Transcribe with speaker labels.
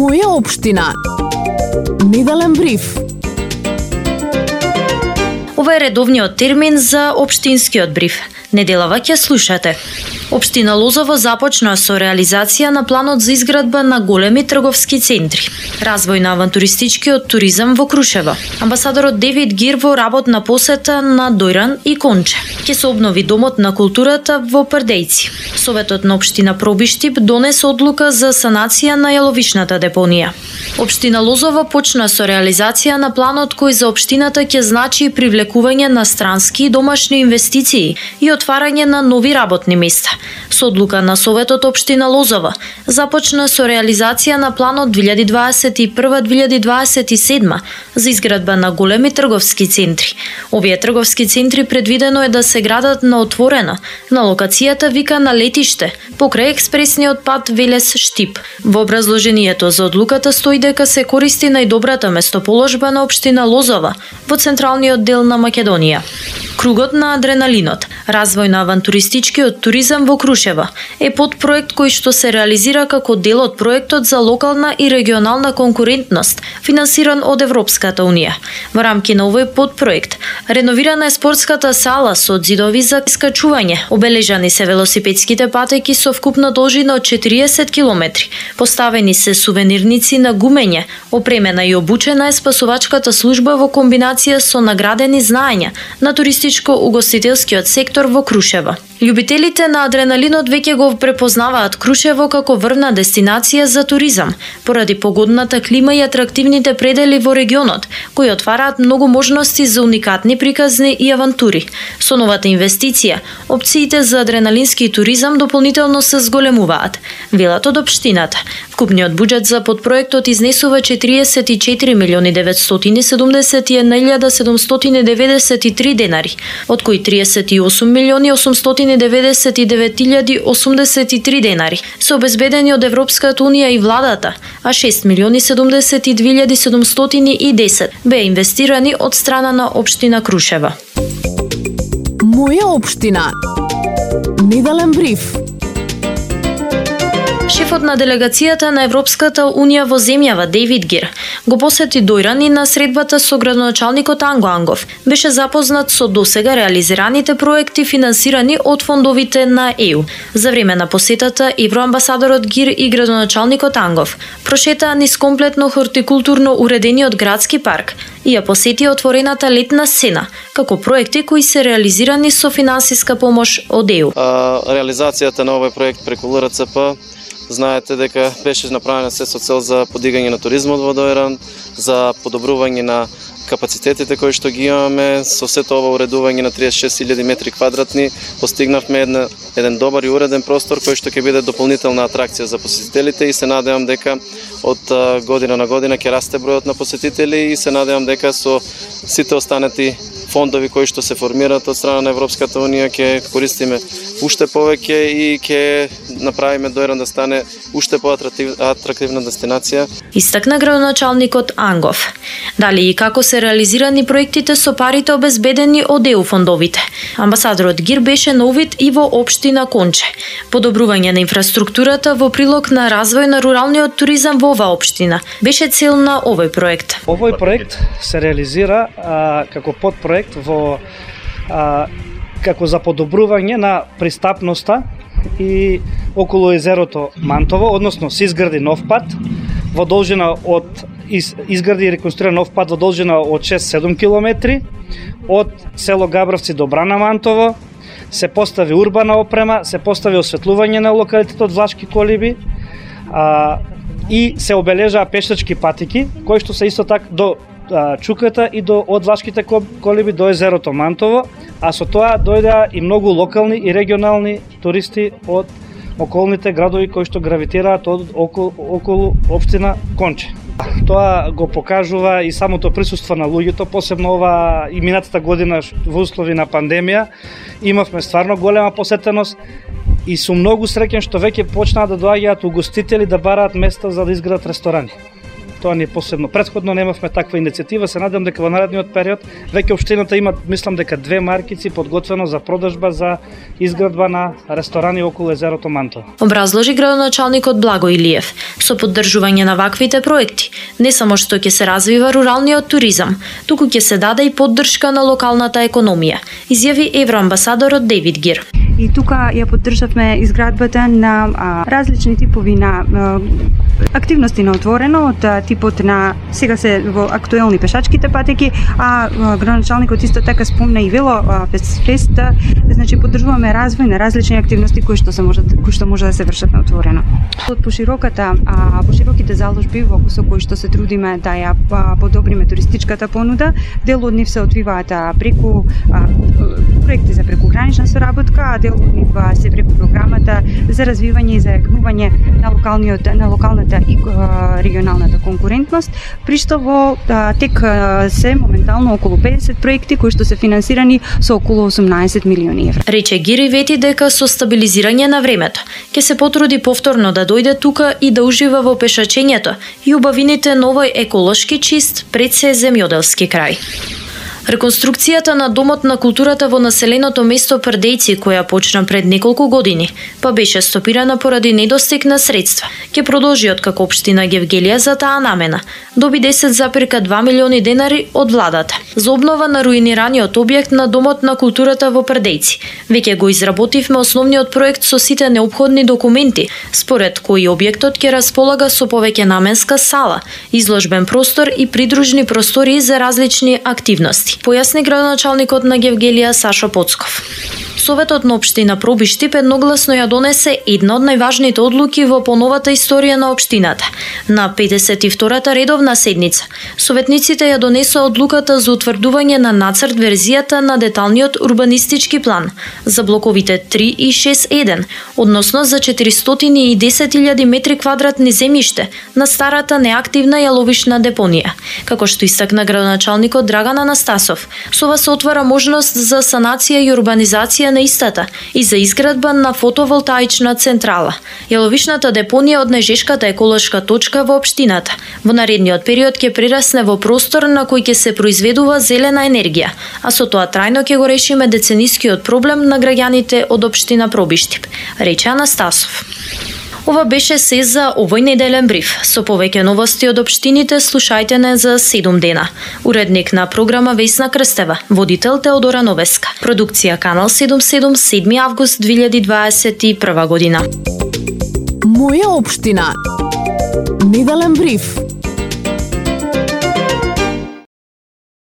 Speaker 1: Моја општина. Неделен бриф.
Speaker 2: Ова е редовниот термин за општинскиот бриф. Неделава ќе слушате. Општина Лозово започна со реализација на планот за изградба на големи трговски центри. Развој на авантуристичкиот туризам во Крушево. Амбасадорот Девид Гир во работна посета на Дојран и Конче. Ќе се обнови домот на културата во Прдејци. Советот на општина Пробиштип донесе одлука за санација на јаловишната депонија. Општина Лозово почна со реализација на планот кој за општината ќе значи привлекување на странски и домашни инвестиции и отварање на нови работни места. Со одлука на Советот општина Лозово започна со реализација на планот 2021-2027 за изградба на големи трговски центри. Овие трговски центри предвидено е да се градат на отворено, на локацијата вика на летиште, покрај експресниот пат Велес-Штип. Во образложението за одлуката стои дека се користи најдобрата местоположба на општина Лозово во централниот дел на Македонија. Кругот на адреналинот, развој на авантуристичкиот туризам во Крушево е подпроект кој што се реализира како дел од проектот за локална и регионална конкурентност, финансиран од Европската унија. Во рамки на овој подпроект, реновирана е спортската сала со ѕидови за искачување, обележани се велосипедските патеки со вкупна должина од 40 километри, поставени се сувенирници на гумење, опремена и обучена е спасувачката служба во комбинација со наградени знаења на туристичко-угостителскиот сектор во Крушево. Љубителите на адреналинот веќе го препознаваат Крушево како врвна дестинација за туризам, поради погодната клима и атрактивните предели во регионот, кои отвараат многу можности за уникатни приказни и авантури. Со новата инвестиција, опциите за адреналински туризам дополнително се зголемуваат, велат од општината. Вкупниот буџет за подпроектот изнесува 44.971.793 денари, од кои 38.899.083 денари се обезбедени од Европската унија и владата, а 6.072.710 беа инвестирани од страна на општина Крушево.
Speaker 1: Моја општина. Неделен бриф.
Speaker 2: Шефот на делегацијата на Европската унија во земјава Дейвид Гир го посети Дојран и на средбата со градоначалникот Анго Ангов беше запознат со досега реализираните проекти финансирани од фондовите на ЕУ. За време на посетата евроамбасадорот Гир и градоначалникот Ангов прошетаа низ комплетно хортикултурно уредениот градски парк и ја посетија отворената летна сцена, како проекти кои се реализирани со финансиска помош од ЕУ.
Speaker 3: Реализацијата на овој проект преку ЛРЦП, знаете дека беше направена се со цел за подигање на туризмот во Дојран, за подобрување на капацитетите кои што ги имаме. Со сето ова уредување на 36.000 метри квадратни постигнавме еден добар и уреден простор кој што ќе биде дополнителна атракција за посетителите и се надевам дека од година на година ќе расте бројот на посетители и се надевам дека со сите останати фондови кои што се формираат од страна на Европската унија ќе користиме уште повеќе и ќе направиме Дојран да стане уште поатрактивна дестинација.
Speaker 2: Истакна градоначалникот Ангов. Дали и како се реализирани проектите со парите обезбедени од ЕУ фондовите. Амбасадорот Гир беше на увид и во општина Конче. Подобрување на инфраструктурата во прилог на развој на руралниот туризам во оваа општина беше цел на овој проект.
Speaker 4: Овој проект се реализира како подпроект во како за подобрување на пристапноста и околу езерото Мантово, односно се изгради нов пат во должина од изгради и реконструира нов пат во должина од 6-7 километри од село Габровци до Брана Мантово, се постави урбана опрема, се постави осветлување на локалитетот Влашки колиби и се обележаа пешачки патики кои што се исто така до Чуката и од Влашките колиби до езерото Мантово, а со тоа дојдеа и многу локални и регионални туристи од околните градови кои што гравитираат околу општина Конче. Тоа го покажува и самото присуство на луѓето, посебно ова и минатата година во услови на пандемија. Имавме стварно голема посетеност и сум многу среќен што веќе почнаа да доаѓаат угостители да бараат места за да изградат ресторани. тоа не е посебно. Претходно немавме таква иницијатива, се надевам дека во наредниот период веќе општината има, мислам дека 2 маркици подготвено за продажба за изградба на ресторани околу езерото Мантово.
Speaker 2: Образложи градоначалникот Благо Илиев. Со поддржување на ваквите проекти, не само што ќе се развива руралниот туризам, туку ќе се даде и поддршка на локалната економија, изјави евроамбасадорот Дейвид Гир.
Speaker 5: И тука ја поддржавме изградбата на различни типови на активности на отворено, од типот на сега се во актуелни пешачките патеки, градоначалникот исто така спомна и вело фест, значи поддржуваме развој на различни активности кои што може да се вршат на отворено. Од пошироките заложби со кои што се трудиме да ја подобриме туристичката понуда, дел од нив се одвиваат преку проекти за прекугранична соработка, а дел од нив се преку програмата за развивање и зајакнување на локалната и регионалната конкурентност, при што во тек се моментално околу 50 проекти кои што се финансирани со околу 18 милиони евра.
Speaker 2: Рече Гири вети дека со стабилизирање на времето ќе се потруди повторно да дојде тука и да ужива во пешачењето и убавините на овој еколошки чист пред се земјоделски крај. Реконструкцијата на Домот на културата во населеното место Прдејци, која почна пред неколку години, па беше стопирана поради недостиг на средства, ќе продолжи откако општина Гевгелија за таа намена доби 10,2 милиони денари од владата за обнова на руинираниот објект на Домот на културата во Прдејци. Веќе го изработивме основниот проект со сите неопходни документи, според кои објектот ќе располага со повеќе наменска сала, изложбен простор и придружни простории за различни активности, појасни градоначалникот на Гевгелија Сашо Поцков. Советот на општина Пробиштип едногласно ја донесе една од најважните одлуки во поновата историја на општината. На 52-та редовна седница, советниците ја донесоа одлуката за утврдување на нацрт верзијата на деталниот урбанистички план за блоковите 3 и 6-1, односно за 410.000 метри квадратни земјиште на старата неактивна јаловишна депонија. Како што истакна градоначалникот Драган Анастасов, со ова се отвара можност за санација и урбанизација на истата и за изградба на фотоволтаична централа. Јаловишната депонија од најжешката еколошка точка во општината во наредниот период ќе прерасне во простор на кој ќе се произведува зелена енергија, а со тоа трајно ќе го решиме деценискиот проблем на граѓаните од општина Пробиштип, рече Анастасов. Ова беше се за овој неделен бриф. Со повеќе новости од општините слушајте не за 7 дена. Уредник на програма Весна Крстева, водител Теодора Новеска. Продукција Канал 77, 7 август 2021 година.
Speaker 1: Моја општина. Неделен бриф.